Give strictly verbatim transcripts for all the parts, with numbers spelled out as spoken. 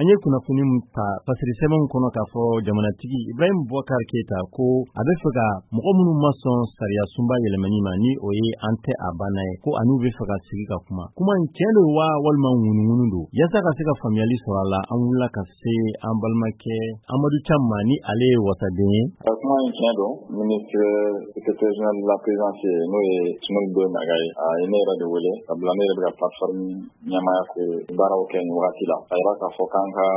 An ye kunnafoni min ta fasiri sɛbɛnw kɔnɔ k'a fɔ jamanatigi Ibrahim Boubacar Keita ko a bɛ fɛ ka mɔgɔ minnu ma sɔn sariya sunba yɛlɛmani ma, ni o ye an tɛ a banna ye, ko ani bɛ fɛ ka sigi ka kuma. Kuma in, tiɲɛ don wa walima ŋunuŋunu don? Yaasa ka se ka faamuyali sɔrɔ a la, an wulila ka se an balimakɛ Amadu Cam ma, ni ale ye wasaden ye. Kuma in tiɲɛ don. Ministre secrétaire général de la présidence, n'o ye Soumaïla Boye Maïga ye, a ye ne yɛrɛ de wele, sabula ne yɛrɛ bɛ ka plateforme ɲɛmaaya ko baaraw kɛ nin wagati la. A yira k'a fɔ k'an ka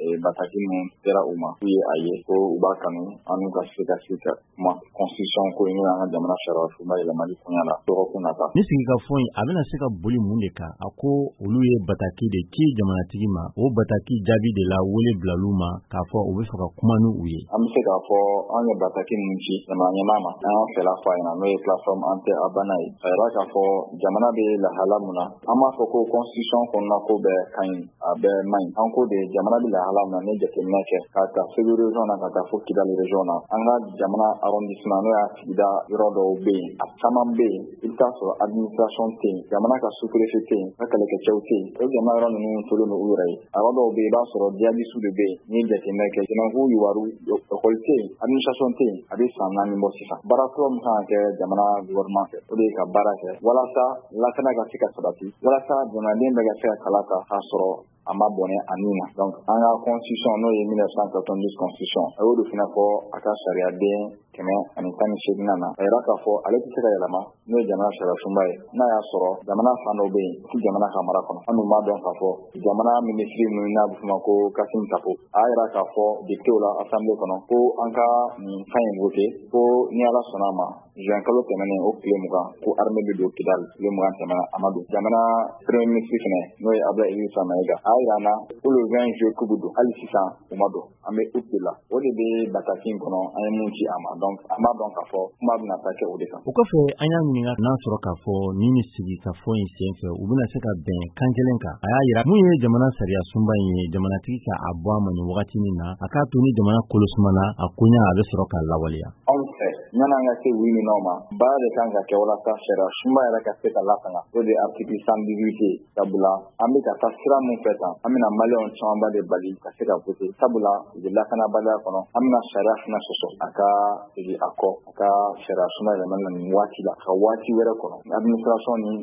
bataki min sera u ma, k'u ye a ye ko u b'a kanu an n'u ka se ka sigi ka kuma constitution ko in, n'o y'an ka jamana sariya sunba yɛlɛmali koɲa la dɔgɔkun nata. Ni sigikafɔ in, a bɛna se ka boli mun de kan? A ko olu ye bataki de ci jamanatigi ma. O bataki jaabi de la, wele bilal'u ma k'a fɔ u bɛ fɛ ka kuma n'u ye. An bɛ se k'a fɔ an ye bataki min ci jamana ɲɛmaa ma, an y'an fɛla fɔ a ɲɛna, n'o ye plateforme an tɛ a banna ye. A yira k'a fɔ jamana bɛ lahala mun na, an b'a fɔ ko constitution kɔnɔna ko bɛɛ ka ɲi, a bɛɛ man ɲi. An ko de jamana bɛ lahala mun na, ni jateminɛ kɛ k'a ta Segu région na ka taa fo Kidali région na, an ka jamana arrondissement, n'o y'a sigida yɔrɔ dɔw bɛ yen, a caman bɛ yen, i bɛ taa sɔrɔ administration tɛ yen, jamana ka sous-préfet tɛ yen, ka kɛlɛkɛcɛw tɛ yen. O jamana yɔrɔ ninnu tolen don u yɛrɛ ye. A yɔrɔ dɔw bɛ yen, i b'a sɔrɔ djihadistes de bɛ yen. N'i ye jateminɛ kɛ, Tenenkou Youwarou, école tɛ yen, administration tɛ yen, a bɛ san naani bɔ sisan. Baara fɔlɔ min kan ka kɛ jamana gouvernement fɛ, o de ye ka baara kɛ walasa lakana ka se ka sabati, walasa jamanaden bɛɛ ka se ka kala ta k'a sɔrɔ a ma bɔnɛ a nin na. Donc an ka constitution, n'o ye mille neuf cent quatre-vingt-dix constitution, a y'o de fana fɔ a ka sariyaden kɛmɛ ani tan ni seegin na. A yira k'a fɔ ale tɛ se ka yɛlɛma, n'o ye jamana sariya sunba ye, n'a y'a sɔrɔ jamana fan dɔ bɛ yen ti jamana ka mara kɔnɔ. An dun b'a dɔn k'a fɔ jamana minisiri min n'a bɛ f'o ma ko Kassoum Tapo, a y'a yira k'a fɔ député la assemblée kɔnɔ ko an ka nin fɛn in voté, ko ni Ala sɔnna a ma, juin kalo tɛmɛnen o tile mugan, ko armée bɛ don Kidal. Tile mugan tɛmɛna, a ma don. Jamana premier ministre fɛnɛ, n'o ye Abdoulaye Idrissa Maïga, a y'a yira an na ko le vingt juillet k'u bɛ don. Hali sisan u ma don. An bɛ août de la. O de bɛ bataki in kɔnɔ an ye mun ci a ma. Donc an b'a dɔn k'a fɔ kuma bɛna taa kɛ o de kan. O kɔfɛ, an y'a ɲininka n'a sɔrɔ k'a fɔ ni ni sigi ka fɔ in sen fɛ, u bɛna se ka bɛn kan kelen kan. A y'a yira mun ye jamana sariya sunba in ye, jamanatigi ka a bɔ a ma nin wagati min na, a k'a to ni jamana kolosumana a koɲa, a bɛ sɔrɔ k'a lawaleya. Anw fɛ, yan'an ka se oui ni non ma, baara de kan ka kɛ walasa sariya sunba yɛrɛ ka se ka latanga. O de ye article cent dix-huit ye, sabula an bɛ ka taa sira mun fɛ tan, an bɛna maliyɛnw camanba de bali ka se ka voter, sabula u bɛ lakanabaliya kɔnɔ. An bɛna sariya fana sɔsɔ a ka segin a kɔ, a ka sariya sunba yɛlɛmali la nin waati la, ka waati wɛrɛ kɔnɔ, administration ni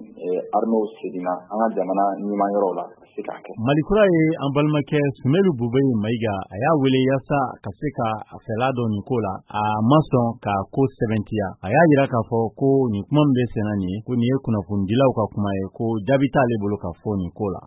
armée seginna an ka jamana ɲuman yɔrɔw la, ka se k'a kɛ. Malikura ye an balimakɛ Soumaïla Boubèye Maïga, a y'a wele yaasa ka se ka a fɛla dɔn nin ko la. A ma sɔn ka ko sɛbɛntiya. A y'a yira k'a fɔ ko nin kuma min bɛ senna nin ye, ko nin ye kunnafonidilaw ka kuma ye, ko jaabi t'ale bolo ka fɔ nin ko la.